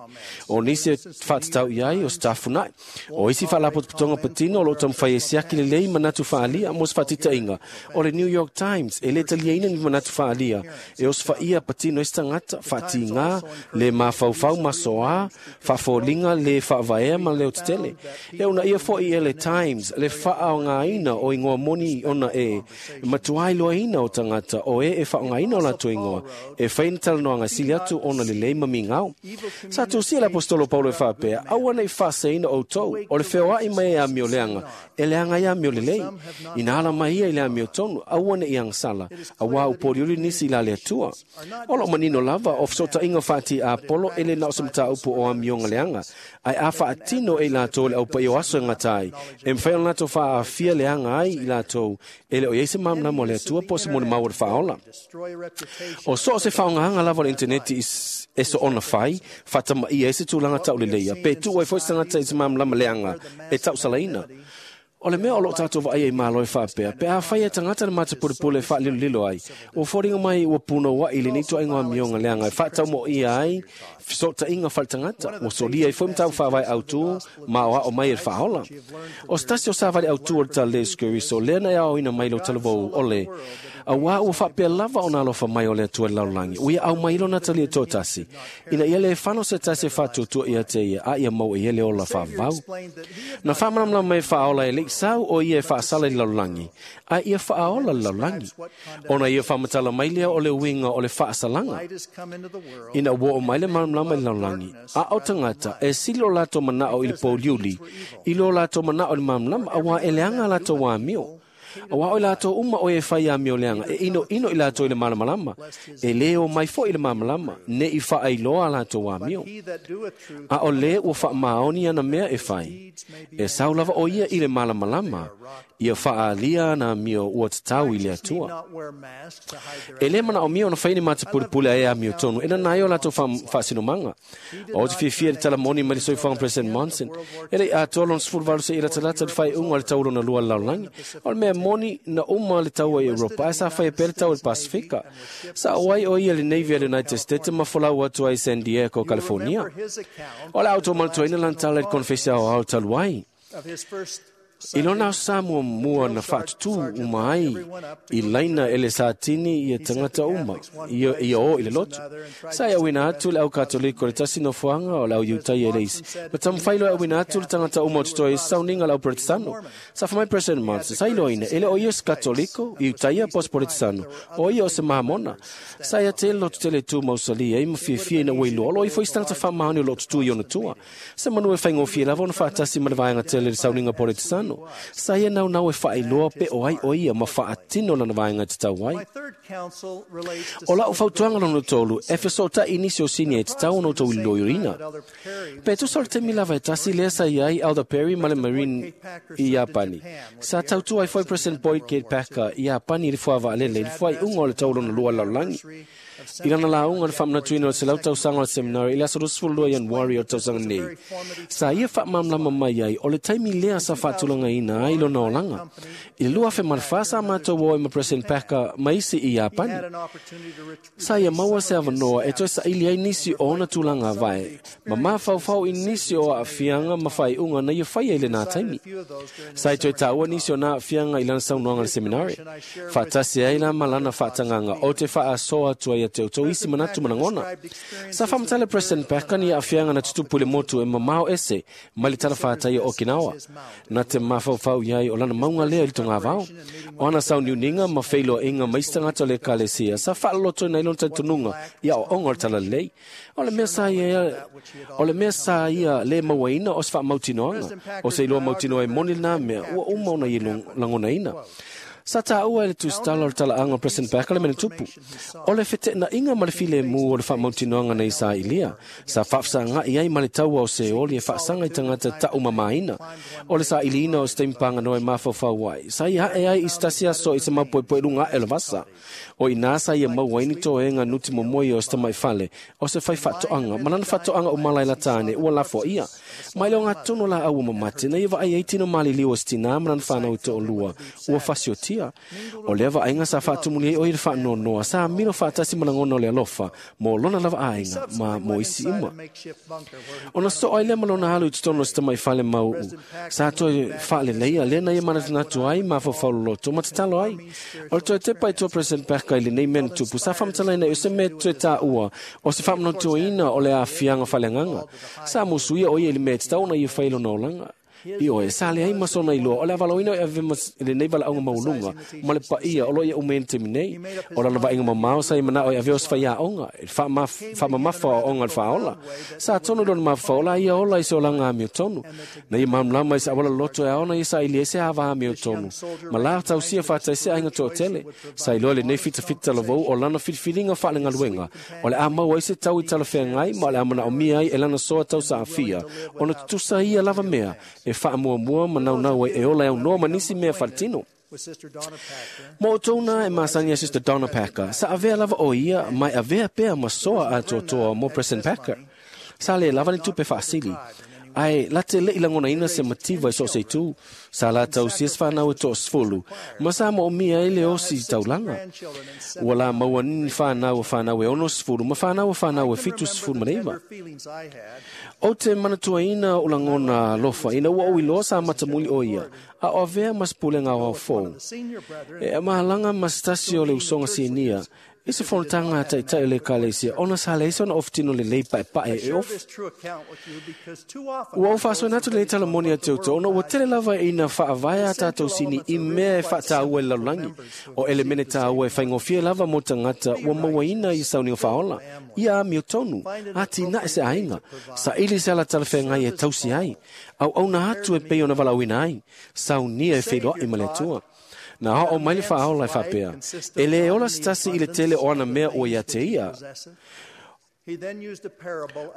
O nisi e faatatau i ai o se tafuna'i. O isi faalapotopotoga patino o loo taumafai e siaki lelei manatu faaalia mo se faataitaiga. O le New York Times e le taliaina ni manatu faaalia e osofaia patino ai se tagata, faatigā, le mafaufau masoā, faafoliga le faavaea ma le leotetele. E uunaia foi e le Times le faaaogaina o igoa moni ona e matuā iloaina o tagata o e e faaaogaina o latou igoa e fai ni talanoaga e sili atu ona lelei ma migao. Sa tusia le aposetolo o Paulo e faapea, Aua ne i faaseseina outou, o le feoai mai e amio leaga, e leaga ai amio lelei. Ina ala mai ia i le amiotonu, aua ne i agasala, auā ua poliuli nisi i la le Atua. O loo manino lava o fesootaiga faati-Apolo e le na o se mataupu o amioga leaga, ae a faatino e i latou le aupaia o aso e gata ai, e mafai ona latou faaafia leaga ai i latou e le o i ai se malamalama o le Atua po o se molimau o le faaola. O so o se faaaogaga lava o le initaneti e soona fai, faatamaia ai se tulaga tauleleia, pe tuu ai foi se tagata i se malamalama leaga e tausalaina. O le mea o loo tatou vaaia i malo e faapea, pe afai e tagata le matapulepule e faalilolilo ai, ua foliga mai ua punouaʻi lenei toaiga amioga leaga e faataumoia ai fesootaiga faletagata, ua solia ai foi mataupu faavae autū ma aoao mai e le faaola. O se tasi o savali autū o le Talalelei Iesu Keriso, lea na e aoaoina mai i lou talavou o le auā ua faapea lava ona alofa mai o le Atua i le lalolagi, ua ia aumai lona talia toatasi, ina ia lē fano se tasi e faatuatua ia te ia, a ia maua i ai le ola faavavau. Na faamalamalama mai e faaola e leʻi sau o ia e faasala i le lalolagi, ae ia faaola le lalolagi. Ona ia faamatala mai lea o le uiga o le faasalaga, ina ua oo mai le malamalama i le lalolagi, a o tagata e sili o latou manao i le pouliuli i lo latou manao i le malamalama, auā e leaga a latou amio. Auā o i latou uma o e fai amio leaga, e inoino i latou i le malamalama, e lē o mai foi i le malamalama, neʻi faailoa a latou amio. A o lē ua faamaoni ana mea e fai, e sau lava o ia i le malamalama, ia faaalia ana amio ua tatau i le Atua. E lē manaomia ona fai ni matapulepule a e amio tonu, e nana ai o latou faasinomaga. O te fiafia i le tala moni mai le soifuaga President Monson, e leʻi atoa lona 18 seia latalata le faaiuga o le tau lona lua o le lalolagi. O le mea moni na uma le taua i Europa, ae sa faia pea le tau i le Pasifika. Sa oo ai o ia i le Navy a le United States ma folau atu ai i San Diego, California. O le a outou manatuaina lana tala i le konefesi aoao talu ai. I lona aso sa muamua na faatutū uma ai i laina e le satini ia tagata uma ia o i le lotu. Sa e auina atu le au Katoliko i le tasi nofoaga o le au Iutaia i le isi, ma taumafai loa e auina atu le tagata uma o totoe i se sauniga a le au Peretisano. Sa fai mai President Monson, sa iloaina e le o ia o se Katoliko, Iutaia po o se Peretisano, o ia o se Mamona. Sa ia tele lotu tele e tu mausali ai ma fiafia ina ua iloa o lo o ifo i se tagata faamaoni o loo tutū i ona tua. Se manu e faigofie lava ona faatasi ma le vaega tele i le sauniga Peretisano. Sa ia naunau e faailoa pe o ai o ia ma faatino lana vaega e tatau ai. O lau fautuaga lona tolu, e fesootaʻi nisi o sini e tatau ona outou iloiloina. Pe tusa o le taimi lava e tasi lea sa i ai Elder Perry ma le Marine i Iapani. Sa tautua ai foi President Boyd K. Packer i Iapani i le fuavaalele i le fuaiuga o le tau lona lua lalolagi. I lana lauga i le faamanatuina o le 100 tausaga o le seminari i le aso 22 Ianuari o le tausaga nei, sa ia faamalamalama mai ai o le taimi lea sa faatulagaina ai lona olaga. I le 2004 sa matou o ai ma President Packer ma isi i Iapani. Sa ia maua se avanoa e toe saili ai nisi o ona tulaga avae, ma mafaufau i nisi o aafiaga ma faaiuga na ia faia i lenā taimi. Sa i toe taua nisi o na aafiaga i lana saunoaga i le seminari. Faatasi ai la ma lana faatagaga o te faasoa atu ai ia te outou isi manatu ma lagona. Sa faamatala President Packer ni aafiaga na tutupu i le motu e mamao ese mai le talafatai o Okinawa. Na te mafaufau i ai o lana mauga lea i le togavao. O ana sauniuniga ma feiloaiga ma isi tagata o le Ekalesia sa faalolotoina ai lona talitonuga i aoaoga o le Talalelei. O le mea sa ia, o le mea sa ia lē mauaina o se faamautinoaga, o se iloa mautinoa e moni lenā mea ua uma ona ia lagonaina. Sa taua e le tusitala o le talaaga o President Packer le mea na tupu, o le feteenaiga ma le filemu o le faamautinoaga na Isailia, sa faafesagaʻi ai ma le taua o Seoli e faasaga i tagata taumamāina. O le sailiina o se taimi paganoa e mafaufau ai, sa ia ae ai i se tasi aso i se mapoepoe i luga ae o le vasa. O i inā sa ia maua ai ni toega nuti momoe o se tamaifale, o se fai faatoaga, ma lana faatoaga uma laila tāne ua lafoaia. Mai le ogatotonu o laau ua mamate, na ia vaai ai tino maliliu o se tinā ma lana fanau e toalua ua fasiotia. O lea vaaiga sa faatumuli ai o ia le faanoanoa, sa milo faatasi ma lagona o le alofa mo lona lava aiga ma mo isi uma. Ona soo ai lea ma lona alu i totonu o se tamaifale mauʻu, sa toe faaleleia lea na ia manatunatu ai mafaufau loloto ma tatalo ai. O le toe tepa i tua President Packer i lenei mea na tupu, sa faamatalaina i o se mea toe taua o se faamanatuaina o le aafiaga faaleagaga. Sa musuia o ia i le mea e tatau ona ia fai i lona olaga. I oe, sa leai ma sona iloa o le avalaoina o e ave ma lenei valaauga maualuga ma le paia o lo o ia uma i le taimi nei. O lana vaaiga mamao sa ia manao e ave o se faiaoga, e faamamafa o aoga i le faaola. Sa tonu i lona mafaufau o la ia ola i se olaga amiotonu. Na ia malamalama i se auala loloto e ao ona ia saili ai se ava amiotonu ma la tausia faataisi aiga toatele. Sa iloa lenei fitafita talavou o lana filifiliga faalegaluega o le a maua ai se tau i talafeagai ma o le a manaomia ai e lana soa tausaafia ona tutusa ia lava mea e faamuamua ma naunau ai e ola e aunoa ma nisi mea faletino. Mo outou na e masani a Sister Donna Packer, sa avea lava o ia mai avea pea ma soa atoatoa mo President Packer. Sa le lava ni tupe faasili. Ae la te leʻi lagonaina se mativa i so o se itu, sa la tausia se fanau e 10, ma sa moomia ai le osi i taulaga. Ua la maua ni fanau a fanau e 60 ma fanau a fanau e 79. Ou te manatuaina o lagona alofa ina ua ou iloa sa matamuli o ia, a o avea ma se pulega aoao fou. E mahalaga ma se tasi o le usoga sinia, i se fonotaga a taʻitaʻi o le ekalesia ona sa leai sona ofutino lelei paepae e ofu. Ua ou faasoaina atu lenei talamoni ia te outou ona ua tele lava ina faavae a tatou sini i mea e faataua i le lalolagi. O elemene tāua e faigofie lava mo tagata ua mauaina i sauniga faaola, ia amiotonu, atinae se aiga, saili se ala talafeagai e tausi ai, auauna atu e pei ona valaauina ai, saunia e feiloai ma le Atua. Na oo mai le faaola e faapea, e lē ola se tasi i le tele o ana mea ua ia te ia.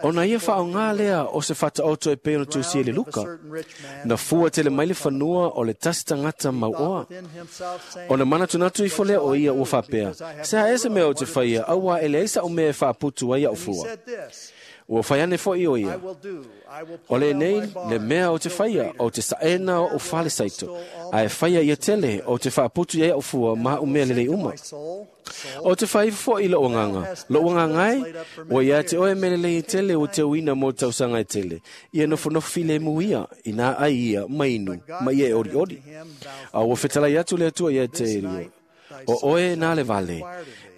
Ona ia faaaogā lea o se faataoto e pei ona tusia i le Luka. Na fua tele mai le fanua o le tasi tagata mauoa. Ona manatunatu ifo lea o ia ua faapea, se a ea se mea ou te faia, auā e leai saʻu mea e faaputu ai aʻu fua. Ua fai ane foʻi o ia, o lenei le mea ou te faia, ou te saʻena oʻu fale saito, ae faia ia tele, ou te faaputu i ai aʻu fua ma aʻu mea lelei uma. Ou te faaifo foʻi i loʻu agaga, loʻu agaga e, ua ia te oe mea lelei e tele ua teuina mo tausaga e tele, ia nofonofo filemu ia, inā ai ia, ma inu, ma ia e olioli. A ua fetalai atu le Atua ia te ia, o oe nā le vale,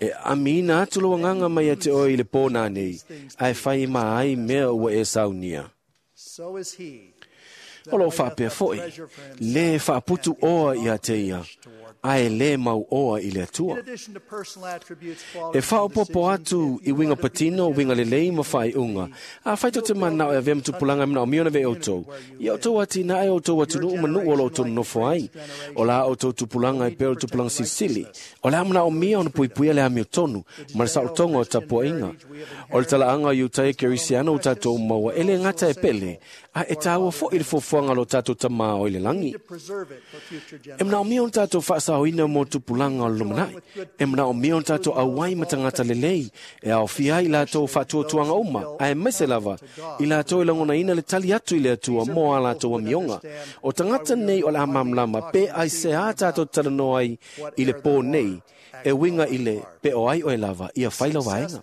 e amiina atu lou agaga mai ia te oe i le pō nanei, ae fai ma ai mea ua e saunia. O loo faapea foʻi, lē faaputu oa ia te ia, ae lē mau oa i le Atua. E faaopopo atu i uiga patino, uiga lelei ma faaiuga, afai tou te mananao e avea ma tupulaga e manaomia ona avea outou, ia outou atinae o outou atunuu ma nuu o lo outou nonofo ai. O la outou tupulaga e pei o le tupulaga silisili, o le a manaomia ona puipuia le amiotonu ma le saolotoga o tapuaiga. O le talaaga o Iutaia Kerisiano ua tatou maua e lē gata e pele, ae e tāua foʻi le fuafuaga o lo tatou Tamā o i le lagi. E manaomia ona tatou faasaoina mo tupulaga o le lumanai. E manaomia ona tatou auai ma tagata lelei e aofia ai i latou faatuatuaga uma, ae maise lava i latou e lagonaina le tali atu i le Atua mo a latou amioga. O tagata nei o le a malamalama pe aisea tatou talanoa ai i le pō nei, e uiga i le pe o ai oe lava ia fai lau vaega.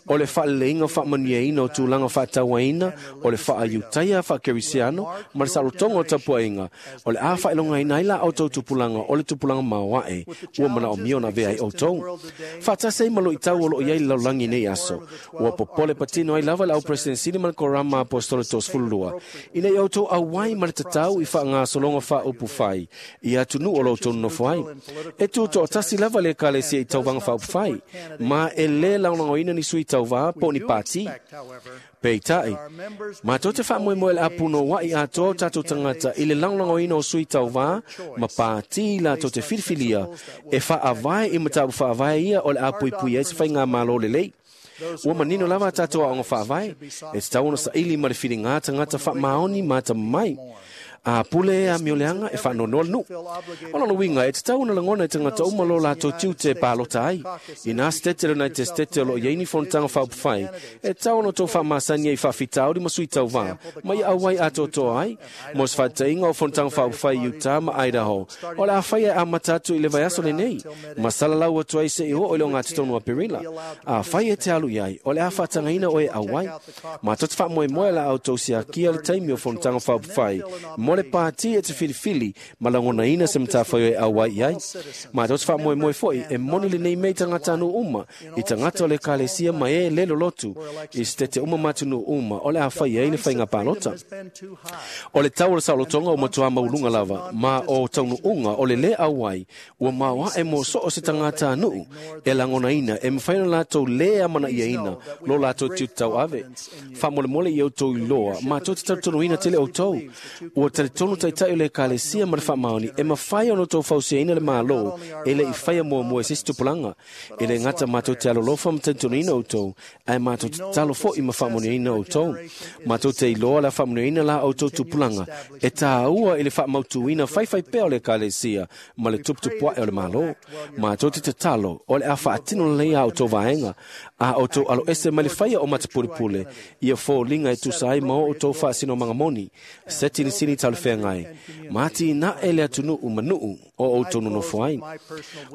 O le faaleleiga faamanuiaina o tulaga faatauaina, o le faaiutaia faakerisiano ma le saolotoga o tapuaiga, o le a faailogaina ai la outou tupulaga o le tupulaga maoae ua manaomia ona avea ai outou. Faatasi ai ma loʻitau o loo i ai le lalolagi nei aso, ua popole patino ai lava le au President ma le Korama Apostolo 32, ina ia outou auai ma le tatau i faagasologa faaupu fai i atunuu o lo outou nonofo ai. E tutoatasi lava le ekalesia i tauvaga faaupufai, ma e lē lagolagoina ni sui tauvā po o ni pātī. Peitai, matou te faamoemoe le apunouaʻi atoa o tatou tagata i le lagolagoina o sui tauvā ma pātī latou te filifilia e faavae i mataupu faavae ia o le a puipui ai se faigamālō lelei. Ua manino lava a tatou aoga faavae, e tatau ona saili ma le filigā tagata faamaoni ma atamamai. A pule e amioleaga e faanoanoa le nuu. O lona uiga e tatau ona lagona e tagata uma lo latou tiute e palota ai. Inā setete le United States o loo i ai ni fonotaga faaupufai, e tatau ona outou faamasani ai i faafitauli ma sui tauvā, ma ia auai atoatoa ai. Mo se faataʻiga o fonotaga faaupufai i Utah ma Idaho, o le a faia e amata atu i le vaiaso lenei, ma salalau atu ai seʻi oo i le ogatotonu o Aperila. Afai e te alu i ai, o le a faatagaina oe e auai. Matou te faamoemoe o le a outou siakia le taimi o fonotaga faaupufai mo le pātī e te filifili ma lagonaina se matafaioi e auai i ai. Matou te faamoemoe foʻi e moni lenei mea i tagatanuu uma, i tagata o le ekalesia ma e lē lolotu, i setete uma ma atunuu uma o le a faia ai le faiga palota. O le tau o le saolotoga ua matuā maualuga lava, ma o taunuuga o le lē auai ua maoaʻe mo so o se tagatanuu e lagonaina e mafai ona latou lē amanaiaina lo latou tiute tauave. Faamolemole ia outou iloa, matou te talitonuina tele outou. Ua talitonu taʻitaʻi o le ekalesia ma le faamaoni e mafai ona outou fausiaina le Mālō e leʻi faia muamua e se isi tupulaga. E lē gata matou te alolofa ma talitonuina outou, ae matou te tatalo foʻi ma faamanuiaina outou. Matou te iloa le a faamanuiaina la outou tupulaga e tāua i le faamautuina faifaipea o le ekalesia ma le tuputupuaʻe o le Mālō. Matou te tatalo o le a faatino lelei a outou vaega. A outou aloese mai le faia o matapulepule, ia foliga e tusa ai ma o outou faasinomaga moni, se sinisini talafeagai, ma atinae le atunuu ma nuu o outou nonofo ai.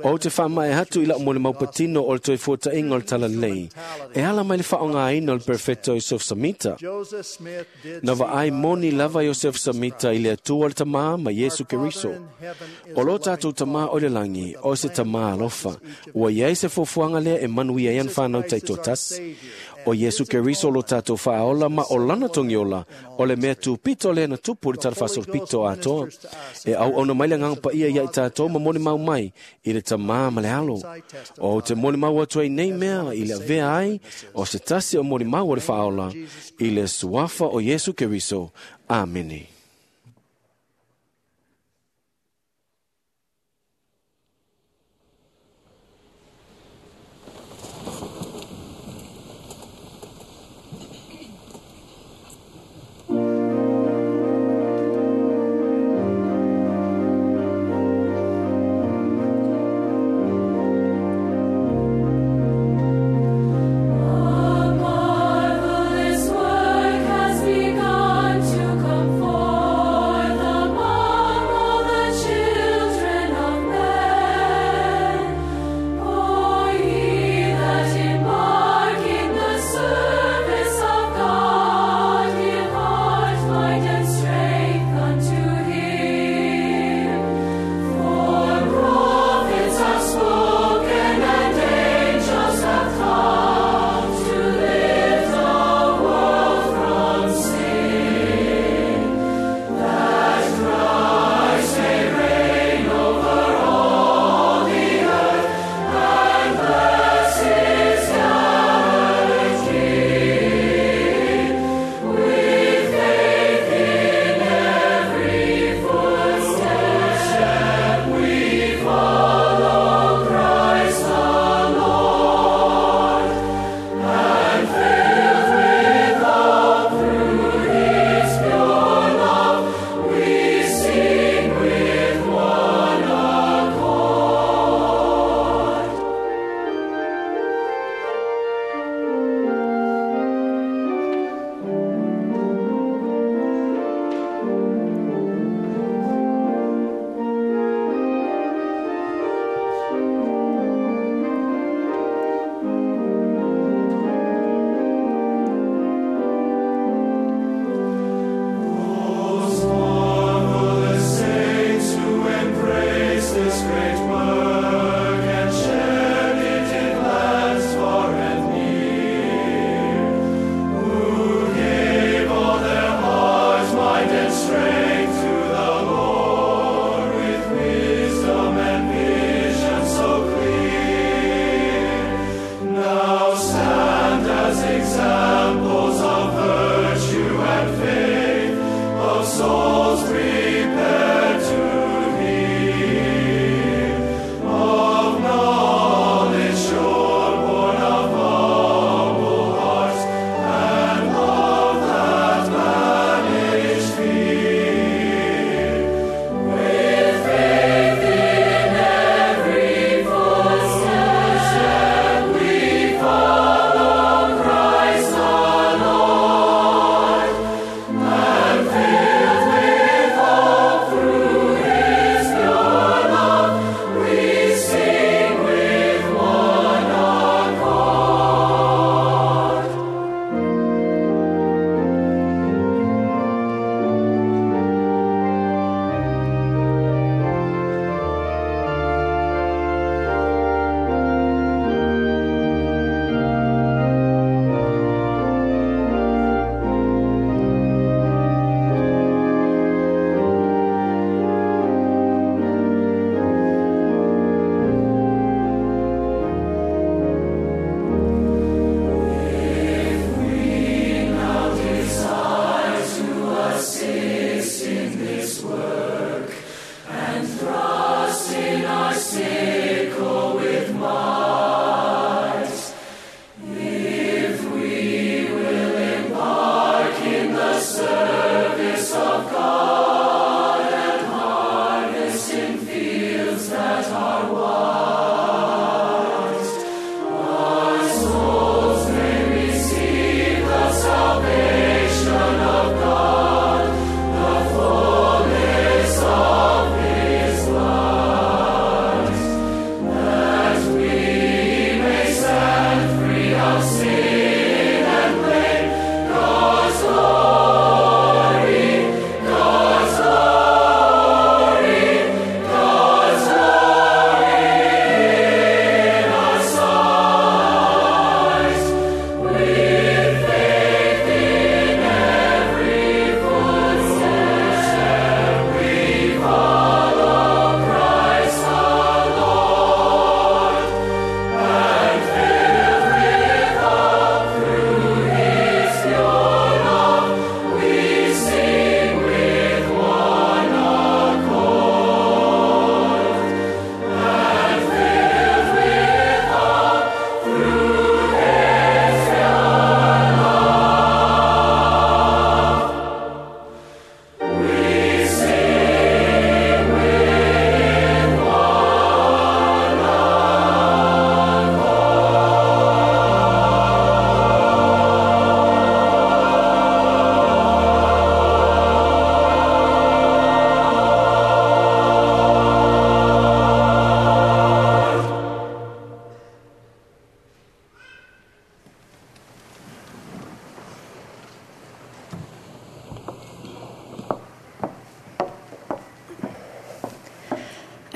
Ou te faamaea atu i lau molimau patino o le toe fuataʻiga o le talalelei, e ala mai le faaaogāina o le Perfeto Iosefo Samita. Joseph Smith did Na see vaai God moni the lava Father Iosefo Jesus Samita Christ. i le Atua le Tamā ma Iesu Our Father Keriso. in heaven is O a lo tātou loving tamā o le langi, Father o with se a plan tamā that alofa, blesses each of ua his iai se fuafuaga lea e manuia ai ana Jesus whanau Christ is our taitoatasi. Savior, O and Iesu his Keriso lo atonement tātou whaaola ma is the o lana symbol of togiola, in all o le mea history. tupito lea na tupu i le The Holy talafaasolopito Ghost atoa. ministers to us E and au bears ona mai le witness agaga of the paia ia i Father tātou and ma the molimau Son. mai i le tamā ma le alo. O te molimau atu ai nei mea i le avea ai o se tasi o molimau o le whaaola i le suafa o Iesu Keriso. Amene. Marvelous work has begun to come forth.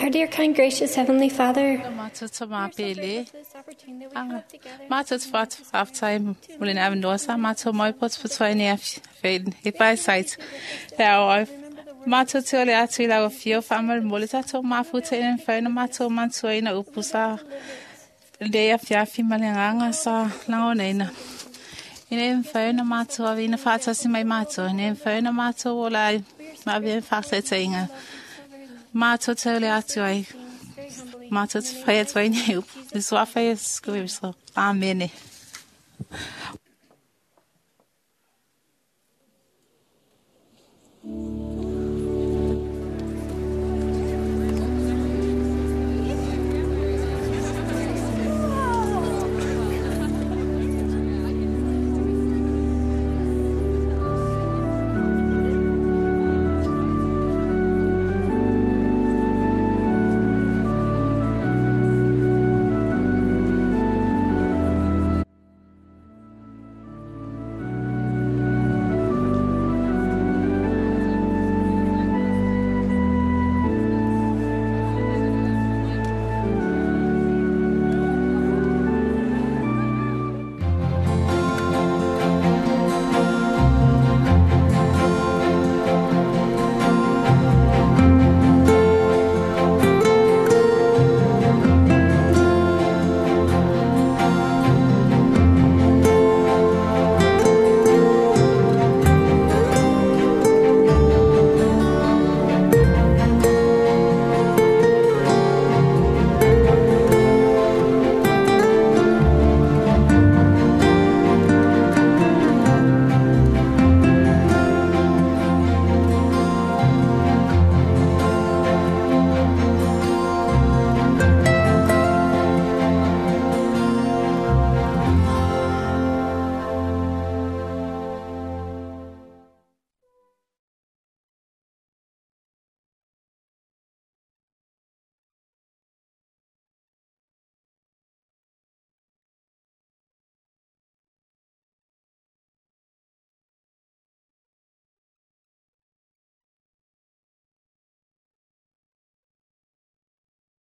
Our dear, kind, gracious Heavenly Father, Matou we are so mapele. grateful for this opportunity that we have together. Matou whaftai mule na avanoa matou mai potopotoa nei e pai site. Te ao matou te ole atu i lau fio whamal mole tatou mafuta ina whaina matou mantua ina upu sa lea fiafi ma le nganga sa langoneina. Ina e mwhaina matou awi ina whaatasi mai matou. Ina e mwhaina matou o lai ma avea whaatatainga. Matou te ole atu ai. Matou te whai atu ai nei upu. Sua whai e skuwe. Amene.